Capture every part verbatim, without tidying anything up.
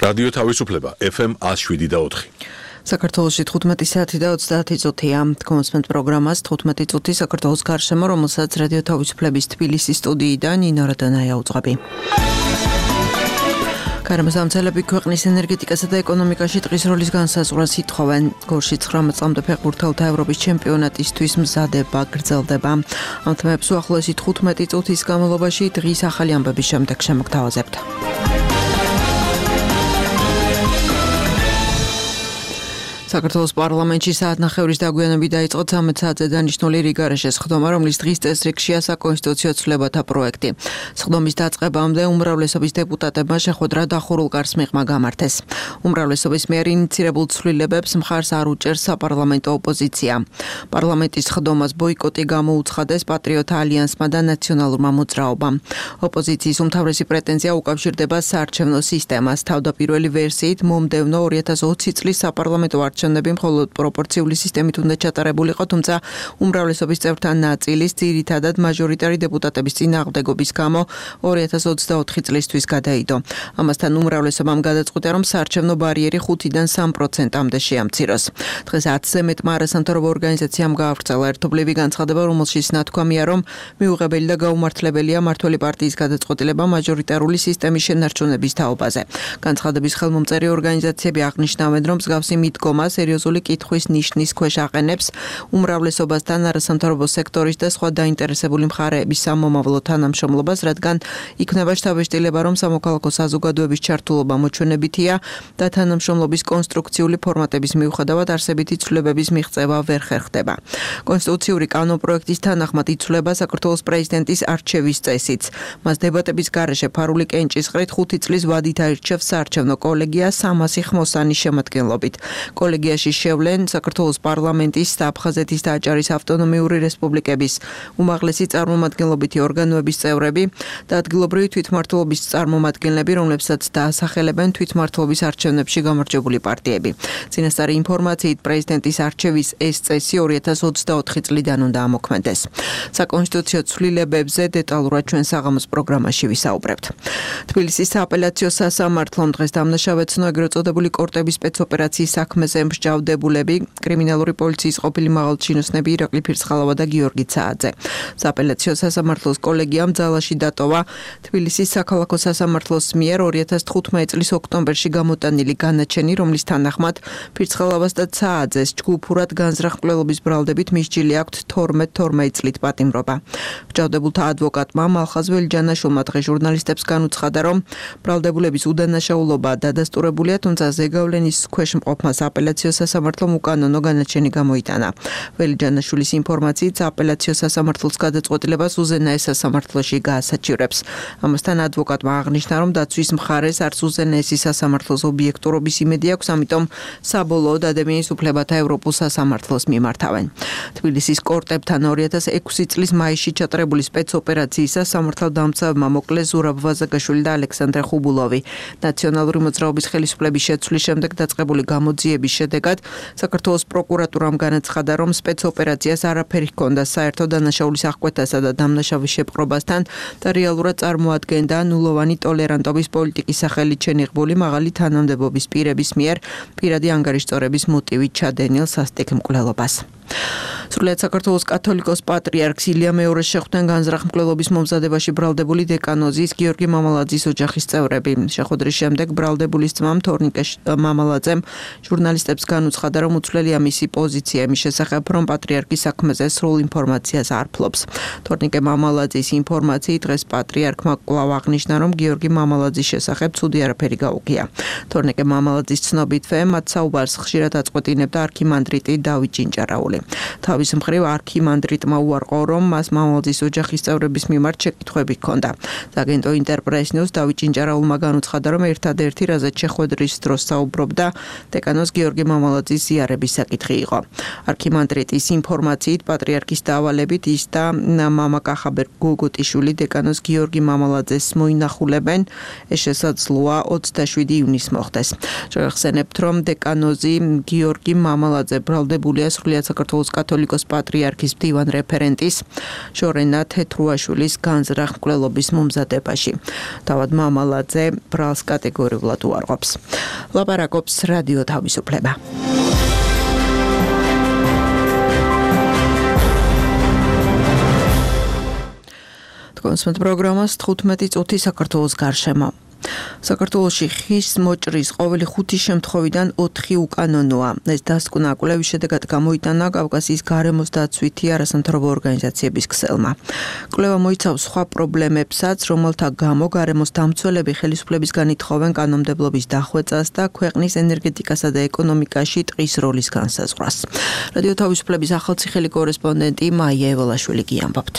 რადიო თავისუფლება ეფ ემ one oh seven და four. საქართველოში თხუთმეტი საათი და ოცდაათი წუთია. Კონსპენთ პროგრამას თხუთმეტი წუთი საქართველოს გარშემო, რომელსაც რადიო თავისუფლების თბილისის სტუდიიდან ნინო რადონაია უძღვები. გარემოსამცველები ქვეყნის ენერგეტიკასა და ეკონომიკაში ტყის როლის განსაზღვრას ითხოვენ. გორში ცხრამეტ წლამდე ფეხბურთელთა ევროპის ჩემპიონატისთვის მზადება გრძელდება. ამ თემებს უახლოესი თხუთმეტი წუთის განმავლობაში დღის ახალი ამბების შემდეგ შემოგთავაზებთ. საქართველოს პარლამენტში საათნახევრის დაგვიანებით დაიწყო ცამეტ საათზე დანიშნული რიგარეშეს სხდომა, რომლის დღის წესრიგშია საკონსტიტუციო ცვლილებათა პროექტი. სხდომის დაწყებამდე უმრავლესობის დეპუტატებმა შეხვედრა დახურულ კარს მიღმა გამართეს. უმრავლესობის მიერ ინიცირებულ ცვლილებებს მხარს არ უჭერს საპარლამენტო ოპოზიცია. პარლამენტის სხდომას ბოიკოტი გამოუცხადეს პატრიოტთა ალიანსმა და ნაციონალურმა მოძრაობამ. ოპოზიციის უმთავრესი პრეტენზია უკავშირდება საარჩევნო სისტემას. თავდაპირველი ვერსიით მომდევნო ორი ათას ოცი წლის საპარლამენტო არჩევნები მხოლოდ პროპორციული სისტემით უნდა ჩატარებულიყო, თუმცა უმრავლესობის წევრთა ნაწილის ძირითადად მაჟორიტარი დეპუტატების წინააღმდეგობის გამო ორი ათას ოცდაოთხი წლისთვის გადაიდო. ამასთან უმრავლესობამ გადაწყვიტა, რომ საარჩევნო ბარიერი ხუთიდან სამ პროცენტამდე შეამციროს. დღეს ათზე მეტმა არასამთავრობო ორგანიზაციამ გაავრცელა ერთობლივი განცხადება, რომელშიც ნათქვამია, რომ მიუღებელი და გაუმართლებელია მმართველი პარტიის გადაწყვეტილება მაჟორიტარული სისტემის შენარჩუნების თაობაზე. განცხადების ხელმომწერი ორგანიზაციები აღნიშნავენ, რომ მსგავსი მიდგომა სერიოზული კითხვის ნიშნის ქვეშ აყენებს უმრავლესობასთან არასამთავრობო სექტორის და სხვა დაინტერესებული მხარეების სამომავლო თანამშრომლობას, რადგან იქნება შთაბეჭდილება, რომ სამოქალაქო საზოგადოების ჩართულობა მოჩვენებითია და თანამშრომლობის კონსტრუქციული ფორმატების მიუხედავად არსებითი ცვლილებების მიღწევა ვერ ხერხდება. კონსტიტუციური კანონპროექტის თანახმად იცვლება საქართველოს პრეზიდენტის არჩევის წესიც. მას დებატების გარეშე ფარული კენჭისყრით ხუთი წლის ვადით აირჩევს საარჩევნო კოლეგია სამასი ხმოსანის შემადგენლობით. კოლეგიაში შევლენ საქართველოს პარლამენტის, აფხაზეთის და აჭარის ავტონომიური რესპუბლიკების უმაღლესი წარმომადგენლობითი ორგანოების წევრები და ადგილობრივი თვითმმართველობის წარმომადგენლები, რომლებსაც დაასახელებენ თვითმმართველობის არჩევნებში გამარჯვებული პარტიები. წინასწარი ინფორმაციით პრეზიდენტის არჩევის ეს წესი ორი ათას ოცდაოთხი წლიდან უნდა ამოქმედდეს. საკონსტიტუციო ცვლილებებზე დეტალურად ჩვენ საღამოს პროგრამაში ვისაუბრებთ. თბილისის სააპელაციო სასამართლომ დღეს დამნაშავედ ცნო ეგრეთ წოდებული კორტების სპეცოპერაციის საქმეზე მსჯავრდებულები, კრიმინალური პოლიციის ყოფილი მაღალჩინოსნები ირაკლი ფირცხალავა და გიორგი ცააძე. სააპელაციო სასამართლოს კოლეგიამ ძალაში დატოვა თბილისის საქალაქო სასამართლოს მიერ ორი ათას თხუთმეტი წლის ოქტომბერში გამოტანილი განაჩენი, რომლის თანახმად ფირცხალავას და ცააძეს ჯგუფურად განზრახ მკვლელობის ბრალდებით მისჯილი აქვთ თორმეტ თორმეტ წლით პატიმრობა. მსჯავრდებულთა ადვოკატმა მალხაზ ველიჯანაშვილმა დღეს ჟურნალისტებს განუცხადა, რომ ბრალდებულების უდანაშაულობა დადასტურებულია, თუმცა ზეგავლენის ქვეშ მყოფმა სააპელაციო სასამართლომ უკანონო განაჩენი გამოიტანა. ველიჯანაშვილის ინფორმაციით სააპელაციო სასამართლოს გადაწყვეტილებას უზენაეს სასამართლოში გაასაჩივრებს. ამასთან ადვოკატმა აღნიშნა, რომ დაცვის მხარეს არც უზენაესი სასამართლოს ობიექტურობის იმედი აქვს, ამიტომ საბოლოოდ ადამიანის უფლებათა ევროპულ სასამართლოს მიმართავენ. თბილისის კორტებთან ორი ათას ექვსი წლის მაისში ჩატარებული სპეცოპერაციისას სამართალდამცავებმა მოკლეს ზურაბ ვაზაგაშვილი და ალექსანდრე ხუბულოვი. ნაციონალური მოძრაობის ხელისუფლების შეცვლის შემდეგ დაწყებული გამოძიების შედეგად საქართველოს პროკურატურამ განაცხადა, რომ სპეცოპერაციას არაფერი ჰქონდა საერთო დანაშაულის აღკვეთასა და დამნაშავის შეპყრობასთან და რეალურად წარმოადგენდა ნულოვანი ტოლერანტობის პოლიტიკის სახელით შენიღბული მაღალი თანამდებობის პირების მიერ პირადი ანგარიშწორების მოტივით ჩადენილ სასტიკ მკვლელობას. სრულიად საქართველოს კათოლიკოს პატრიარქს ილია მეორეს შეხვდნენ განზრახ მკვლელობის მომზადებაში ბრალდებული დეკანოზის გიორგი მამალაძის ოჯახის წევრები. შეხვედრის შემდეგ ბრალდებულის ძმამ თორნიკე მამალაძემ ჟურნალისტებს განუცხადა, რომ უცვლელია მისი პოზიცია იმის შესახებ, რომ პატრიარქის საქმეზე სრულ ინფორმაციას არ ფლობს. თორნიკე მამალაძის ინფორმაციით დღეს პატრიარქმა კვლავ აღნიშნა, რომ გიორგი მამალაძის შესახებ ცუდი არაფერი გაუგია. თორნიკე მამალაძის ცნობითვე მათ საუბარს ხშირად აწყვეტინებდა არქიმანდრიტი დავით ჭინჭარაული. თავის მხრივ არქიმანდრიტმა უარყო, რომ მას მამალაძის ოჯახის წევრების მიმართ შეკითხვები ჰქონდა. აგენტო ინტერპრეს ნიუს დავით ჭინჭარაულმა განუცხადა, რომ ერთადერთი რაზეც შეხვედრის დროს საუბრობდა დეკანოზ გიორგი მამალაძის ზიარების საკითხი იყო. არქიმანდრიტის ინფორმაციით პატრიარქის დავალებით ის და მამა კახაბერ გოგოტიშვილი დეკანოზ გიორგი მამალაძეს მოინახულებენ. ეს შესაძლოა ოცდაშვიდი ივნისს მოხდეს. შევახსენებთ, რომ დეკანოზი გიორგი მამალაძე ბრალდებულია სრულიად საქართველოს საქართველოს კათოლიკოს პატრიარქის მდივან რეფერენტის შორენა თეთრუაშვილის განზრახ მკვლელობის მომზადებაში. თავად მამალაძე ბრალს კატეგორიულად უარყოფს. ლაპარაკობს რადიო თავისუფლება. კონსმეთ პროგრამას თხუთმეტი წუთი საქართველოს გარშემო. საქართველოში ხის მოჭრის ყოველი ხუთი შემთხვევიდან ოთხი უკანონოა. ეს დასკვნა კვლევის შედეგად გამოიტანა კავკასიის გარემოს დაცვითი არასამთავრობო ორგანიზაციების ქსელმა. კვლევა მოიცავს სხვა პრობლემებსაც, რომელთა გამო გარემოს დამცველები ხელისუფლებისგან ითხოვენ კანონმდებლობის დახვეწას და ქვეყნის ენერგეტიკასა და ეკონომიკაში ტყის როლის განსაზღვრას. რადიო თავისუფლების ახალციხელი კორესპონდენტი მაია ევალაშვილი გიამბობთ.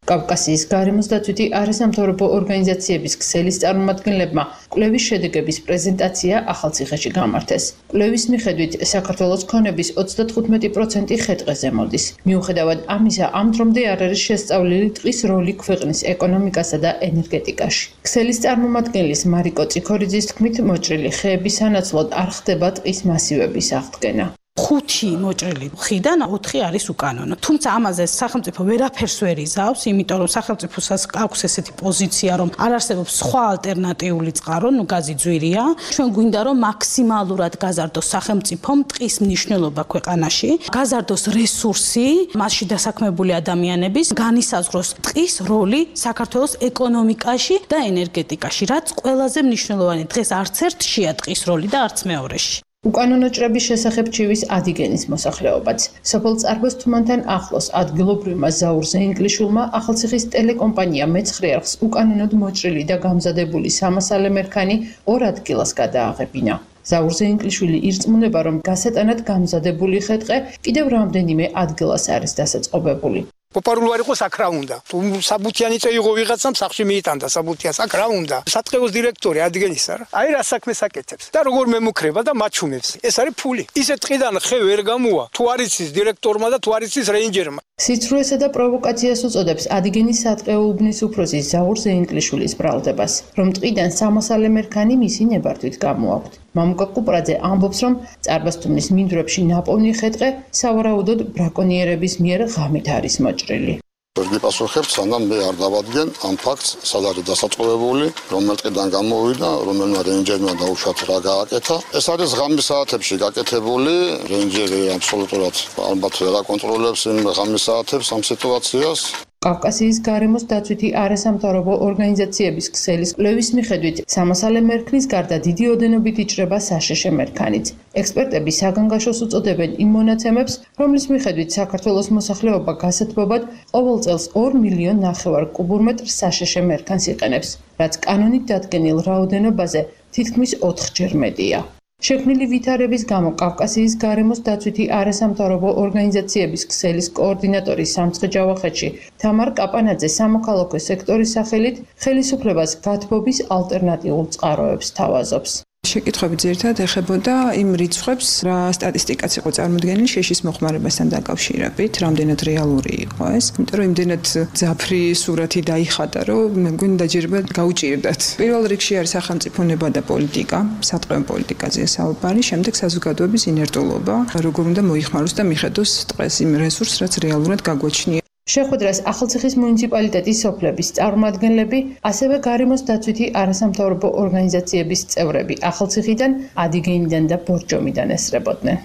კავკასიის გარემოს დაცვითი არასამთავრობო ორგანიზაციების ქსელის წარმომადგენლებმა კვლევის შედეგების პრეზენტაცია ახალციხეში გამართეს. კვლევის მიხედვით საქართველოს ქონების ოცდათხუთმეტი პროცენტი ხე-ტყეზე მოდის. მიუხედავად ამისა, ამ დრომდე არ არის შესწავლილი ტყის როლი ქვეყნის ეკონომიკასა და ენერგეტიკაში. ქსელის წარმომადგენლის მარიკო წიქორიძის თქმით, მოჭრილი ხეების სანაცვლოდ არ ხდება ტყის მასივების აღდგენა. ხუთი მოჭრილი ხიდან ოთხი არის უკანონო. თუმცა ამაზე სახელმწიფო ვერაფერს ვერ იზავს, იმიტომ რომ სახელმწიფოსაც აქვს ესეთი პოზიცია, რომ არ არსებობს სხვა ალტერნატიული წყარო, ნუ გაზი ძვირია. ჩვენ გვინდა რომ მაქსიმალურად გაზარდოს სახელმწიფომ ტყის მნიშვნელობა ქვეყანაში, გაზარდოს რესურსი, მასში დასაქმებული ადამიანების, განისაზღვროს ტყის როლი საქართველოს ეკონომიკაში და ენერგეტიკაში, რაც ყველაზე მნიშვნელოვანი. დღეს არც ერთშია ტყის როლი და არც მეორეში. უკანონო ჭრების შესახებ ჩივის ადიგენის მოსახლეობაც. სოფელ წარბოს თუმანთან ახლოს ადგილობრივმა ზაურზე ინგლიშულმა ახალციხის ტელეკომპანია მეცხრე არხს უკანონოდ მოჭრილი და გამზადებული სამასალე მერქანი ორ ადგილას გადააღებინა. ზაურზე ინგლიშვილი ირწმუნება, რომ გასატანად გამზადებული ხე-ტყე კიდევ რამდენიმე ადგილას არის დასაწყობებული. პოპარული არ იყოს, აქ რა უნდა. თუ საბუთიანი წეიღო ვიღაცამ სახში მიიტანდა საბუთიანს, აქ რა უნდა. სატყეოს დირექტორი ადგენის არა. აი რა საქმეს აკეთებს და როგორ მემუქრება და მაჩვენებს. ეს არის ფული. ისე ტყიდან ხე ვერ გამოვა. თუ არ იცის დირექტორმა და თუ არ იცის რეინჯერმა. სიცრუესა და პროვოკაციას უწოდებს ადგენის სატყეო უბნის უფროსი ზაურზე ინგლიშვილის ბრალდებას, რომ ტყიდან სამასალე მერქანი მისი ნებართვით გამოაქვთ. მამუკა კუპრაძე ამბობს, რომ წარბასთუმნის მინდვრებში ნაპოვნი ხე-ტყე სავარაუდოდ ბრაკონიერების მიერ ღამით არის მოჭრილი. ვერ გიპასუხებ, სანამ მე არ დავადგენ ამ ფაქტს, სად არის დასაწყობებული, რომელ ტყიდან გამოვიდა, რომელმა რეინჯერმა დაუშვათ რა გააკეთა. ეს არის ღამის საათებში გაკეთებული, რეინჯერი აბსოლუტურად ალბათ ვერ აკონტროლებს იმ ღამის საათებს ამ სიტუაციას. კავკასიის გარემოს დაცვითი არასამთავრობო ორგანიზაციების ქსელის კვლევის მიხედვით, სამასალე მერქნის გარდა დიდი ოდენობით იჭრება საშეშე მერქანიც. ექსპერტები საგანგაშოს უწოდებენ იმ მონაცემებს, რომლის მიხედვით საქართველოს მოსახლეობა გასათბობად ყოველ წელს ორ მილიონ ნახევარ კუბურმეტრ საშეშე მერქანს იყენებს, რაც კანონით დადგენილ რაოდენობაზე თითქმის ოთხჯერ მეტია. შექმნილი ვითარების გამო კავკასიის გარემოს დაცვითი არასამთავრობო ორგანიზაციების ქსელის კოორდინატორი სამცხე-ჯავახეთში თამარ კაპანაძე სამოქალაქო სექტორის სახელით ხელისუფლებას გათბობის ალტერნატიულ წყაროებს თავაზობს. შეკითხვები ძირითადად ეხებოდა იმ რიცხვებს, რა სტატისტიკაც იყო წარმოდგენილი შეშის მოხმარებასთან დაკავშირებით, რამდენად რეალური იყო ეს. იმიტომ რომ იმდენად ძაფრი სურათი დაიხატა, რომ მე მგონი დაჯერება გაუჭირდათ. პირველ რიგში არის სახელმწიფო ნება და პოლიტიკა, სატყეო პოლიტიკაზეა საუბარი, შემდეგ საზოგადოების ინერტულობა, როგორ უნდა მოიხმაროს და მიხედოს ტყეს იმ რესურსს, რაც რეალურად გაგვაჩნია. შეხვედრას ახალციხის მუნიციპალიტეტის სოფლების წარმომადგენლები, ასევე გარემოს დაცვითი არასამთავრობო ორგანიზაციების წევრები ახალციხიდან, ადიგენიდან და ბორჯომიდან ესწრებოდნენ.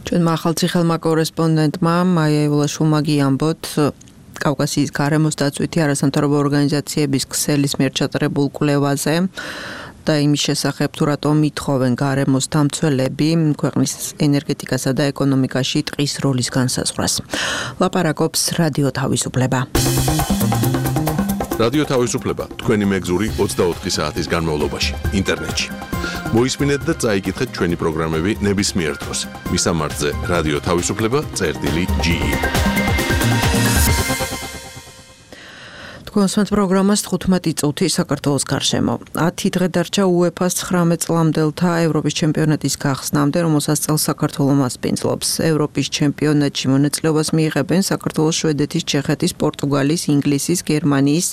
ჩვენმა ახალციხელმა კორესპონდენტმა მაია ევალაშვილმა გიამბოთ, კავკასიის გარემოს დაცვითი არასამთავრობო ორგანიზაციების ქსელის მიერ ჩატარებულ კვლევაზე და იმის შესახებ, თუ რატომ ითხოვენ გარემოს დამცველები ქვეყნის ენერგეტიკასა და ეკონომიკაში ტყის როლის განსაზღვრას. ლაპარაკობს რადიო თავისუფლება. რადიო თავისუფლება თქვენი მეგზური ოცდაოთხი საათის განმავლობაში ინტერნეტში. მოისმინეთ და წაიკითხეთ ჩვენი პროგრამები ნებისმიერ დროს. მისამართზე რადიო თავისუფლება წერტილი ჯი ი. თქვენს პროგრამას თხუთმეტი წუთი საქართველოს გარშემო. ათი დღე დარჩა უეფას ცხრამეტ წლამდელთა ევროპის ჩემპიონატის გახსნამდე, რომელსაც წელს საქართველო მასპინძლობს. ევროპის ჩემპიონატში მონაწილეობას მიიღებენ საქართველოს, შვედეთის, ჩეხეთის, პორტუგალის, ინგლისის, გერმანიის,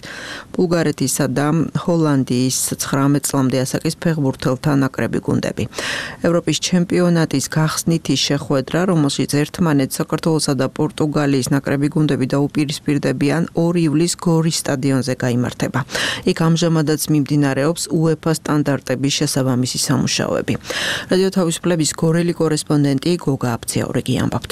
ბულგარეთისა და ჰოლანდიის ცხრამეტ წლამდე ასაკის ფეხბურთელთა ნაკრები გუნდები. ევროპის ჩემპიონატის გახსნითი შეხვედრა, რომელშიც ერთმანეთს საქართველოსა და პორტუგალიის ნაკრები გუნდები დაუპირისპირდებიან ორი ივლისს გორის სტადიონზე გაიმართება. იქ ამჟამადაც მიმდინარეობს უეფა სტანდარტების შესაბამისი სამუშაოები. რადიო თავისუფლების გორელი კორესპონდენტი გოგა აფციაურიგი ამბობთ.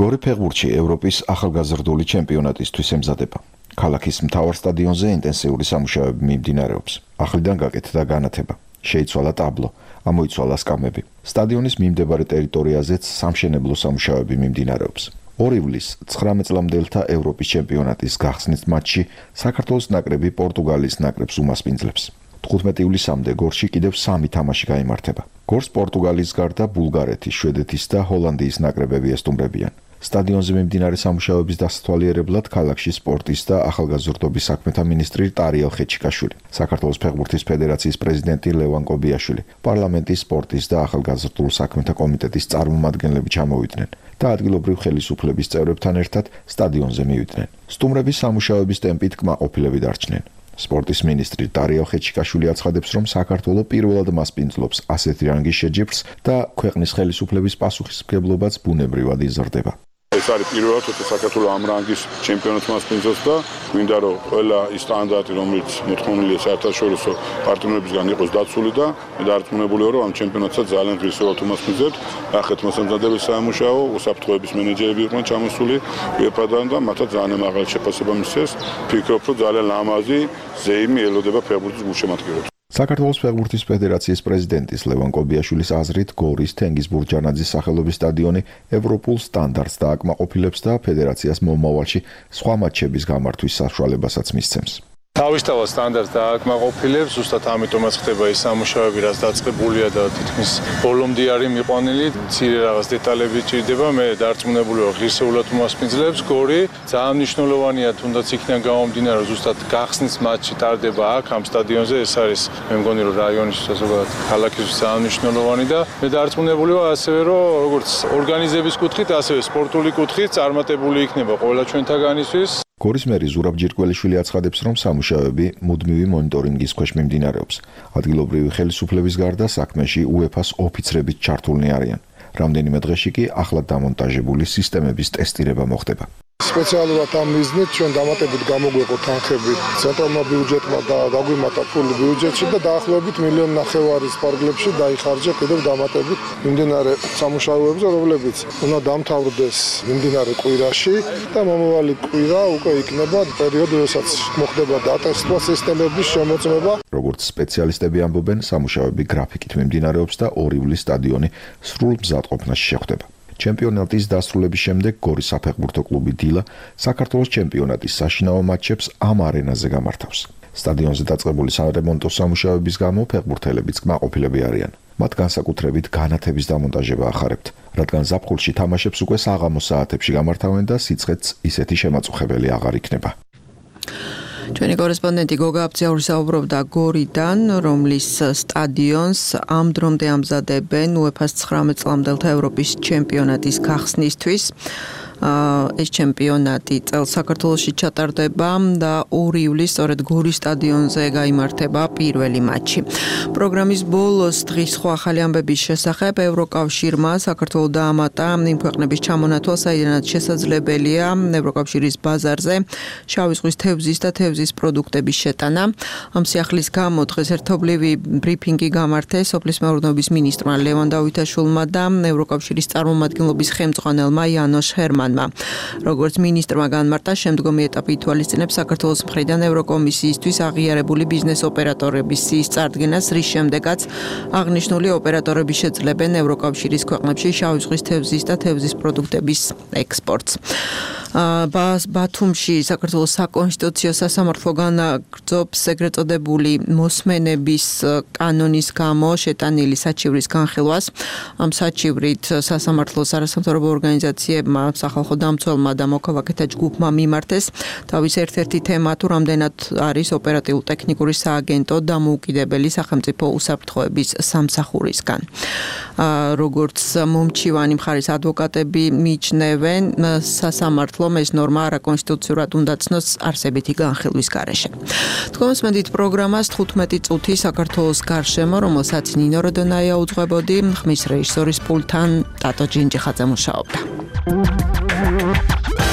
გორი ფეხბურთში ევროპის ახალგაზრდული ჩემპიონატისთვის ემზადება. ქალაქის მთავარ სტადიონზე ინტენსიური სამუშაოები მიმდინარეობს. ახლიდან გაკეთდა განათება. შეიცვალა ტაბლო, ამოიცვალა სკამები. სტადიონის მიმდებარე ტერიტორიაზეც სამშენებლო სამუშაოები მიმდინარეობს. ორი ივლისს ცხრამეტ წლამდელთა ევროპის ჩემპიონატის გახსნის მატჩში საქართველოს ნაკრები პორტუგალიის ნაკრებს უმასპინძლებს. თხუთმეტი ივლისამდე გორში კიდევ სამი თამაში გაიმართება. გორს პორტუგალიის გარდა ბულგარეთის, შვედეთის და ჰოლანდიის ნაკრებები ესტუმრებიან. სტადიონზე მიმდინარე სამუშაოების დასათვალიერებლად ქალაქში სპორტის და ახალგაზრდობის საქმეთა მინისტრი ტარიელ ხეჩიკაშვილი, საქართველოს ფეხბურთის ფედერაციის პრეზიდენტი ლევან კობიაშვილი, პარლამენტის სპორტის და ახალგაზრდულ საქმეთა კომიტეტის წარმომადგენლები ჩამოვიდნენ და ადგილობრივ ხელისუფლების წევრებთან ერთად სტადიონზე მივიდნენ. სტუმრების სამუშაოების ტემპით კმაყოფილები დარჩნენ. სპორტის მინისტრი ტარიელ ხეჩიკაშვილი აცხადებს, რომ საქართველო პირველად მასპინძლობს ასეთი რანგის შეჯიბრს და ქვეყნის ხელისუფლების პასუხისმგებლობაც ბუნებრივად იზრდება. ეს არის პირველად, როცა საქართველო ამ რანგის ჩემპიონატს მასპინძლობს და გვინდა რომ ყველა ის სტანდარტი, რომელიც მოთხოვნილია საერთაშორისო პარტნიორებისგან იყოს დაცული და მე დარწმუნებულია, რომ ამ ჩემპიონატსაც ძალიან ღირსეულად უმასპინძლებთ. ნახეთ მოსამზადებელი სამუშაო, უსაფრთხოების მენეჯერები იყვნენ ჩამოსული უეფა-დან და მათაც ძალიან მაღალი შეფასება მისცეს. ფიქრობ, რომ ძალიან ლამაზი ზეიმი ელოდება ფეხბურთის გულშემატკივრებს. საქართველოს ფეხბურთის ფედერაციის პრეზიდენტის ლევან კობიაშვილის აზრით, გორის თენგიზ ბურჯანაძის სახელობის სტადიონი ევროპულ სტანდარტს დააკმაყოფილებს და ფედერაციას მომავალში სხვა მატჩების გამართვის საშუალებასაც მისცემს. თავისთავად სტანდარტს დააკმაყოფილებს, ზუსტად ამიტომაც ხდება ის სამუშაოები, რაც დაწყებულია და თითქმის ბოლომდე არის მიყვანილი. მცირე რაღაც დეტალები ჭირდება, მე დარწმუნებული ვარ, ღირსეულად უმასპინძლებს გორი. ძალიან მნიშვნელოვანია, თუნდაც იქიდან გამომდინარე, რომ ზუსტად გახსნის მატჩი ტარდება აქ ამ სტადიონზე. ეს არის მე მგონი, რომ რაიონისთვის ზოგადად ქალაქისთვის ძალიან მნიშვნელოვანი და მე დარწმუნებული ვარ ასევე, რომ როგორც ორგანიზების კუთხით, ასევე სპორტული კუთხით წარმატებული იქნება ყველა ჩვენთაგანისთვის. გორის მერი ზურაბ ჯირკველიშვილი აცხადებს, რომ სამუშაოები მუდმივი მონიტორინგის ქვეშ მიმდინარეობს. ადგილობრივი ხელისუფლების გარდა საქმეში უეფას ოფიცრებით ჩართულნი არიან. რამდენიმე დღეში კი ახლად დამონტაჟებული სისტემების ტესტირება მოხდება. სპეციალურად ამ მიზნით ჩვენ დამატებით გამოგვეყო თანხები ცენტრალურმა ბიუჯეტმა და დაგვიმატა ფული ბიუჯეტში და დაახლოებით მილიონ ნახევარის ფარგლებში დაიხარჯა კიდევ დამატებით მიმდინარე სამუშაოებზე, რომლებიც უნდა დამთავრდეს მიმდინარე კვირაში და მომავალი კვირა უკვე იქნება პერიოდი, როდესაც მოხდება დატესტვა სისტემების შემოწმება. როგორც სპეციალისტები ამბობენ, სამუშაოები გრაფიკით მიმდინარეობს და ორი ივლისს სტადიონი სრულ მზადყოფნაში შეხვდება. ჩემპიონატის დასრულების შემდეგ გორის საფეხბურთო კლუბი დილა საქართველოს ჩემპიონატის საშინაო მატჩებს ამ არენაზე გამართავს. სტადიონზე დაწყებული სარემონტო სამუშაოების გამო ფეხბურთელებიც კმაყოფილები არიან. მათ განსაკუთრებით განათების დამონტაჟება ახარებთ, რადგან ზაფხულში თამაშებს უკვე საღამოს საათებში გამართავენ და სიცხეც ისეთი შემაწუხებელი აღარ იქნება. ჩვენი კორესპონდენტი გოგა აფციაური საუბრობდა გორიდან, რომლის სტადიონს ამ დრომდე ამზადებენ უეფას ცხრამეტ წლამდელთა ევროპის ჩემპიონატის გახსნისთვის. ეს ჩემპიონატი წელს საქართველოში ჩატარდება და ორი ივლისს სწორედ გორის სტადიონზე გაიმართება პირველი მატჩი. პროგრამის ბოლოს დღის სხვა ახალი ამბების შესახებ ევროკავშირმა საქართველოს დაამატა იმ ქვეყნების ჩამონათვალ, საიდანაც შესაძლებელია ევროკავშირის ბაზარზე შავი ზღვის თევზის და თევზის პროდუქტების შეტანა. ამ სიახლის გამო დღეს ერთობლივი ბრიფინგი გამართეს სოფლის მეურნეობის მინისტრმა ლევან დავითაშვილმა და ევროკავშირის წარმომადგენლობის ხელმძღვანელმა იანოშ ჰერმანმა. როგორც მინისტრმა განმარტა, შემდგომი ეტაპი ითვალისწინებს საქართველოს მხრიდან ევროკომისიისთვის აღიარებული ბიზნეს ოპერატორების სიის წარდგენას, რის შემდეგაც აღნიშნული ოპერატორები შეძლებენ ევროკავშირის ქვეყნებში შავი ზღვის თევზის და თევზის პროდუქტების ექსპორტს. ბათუმში საქართველოს საკონსტიტუციო სასამართლო განაგრძობს ეგრეთ წოდებული მოსმენების კანონის გამო შეტანილი საჩივრის განხილვას. ამ საჩივრით სასამართლოს არასამთავრობო ორგანიზაციებმა, სახალხო დამცველმა და მოქალაქეთა ჯგუფმა მიმართეს. თავის ერთ-ერთი თემა თუ რამდენად არის ოპერატიულ-ტექნიკური სააგენტო დამოუკიდებელი სახელმწიფო უსაფრთხოების სამსახურისგან. როგორც მომჩივანი მხარის ადვოკატები მიიჩნევენ, სასამართლომ ეს ნორმა არაკონსტიტუციურად უნდა ცნოს არსებითი განხილვის გარეშე. თქვენს პროგრამას თხუთმეტი წუთი საქართველოს გარშემო, რომელსაც ნინო როდონაია უძღვებოდი, ხმის რეჟისორის პულტთან ტატო ჯინჯიხაძე მუშაობდა.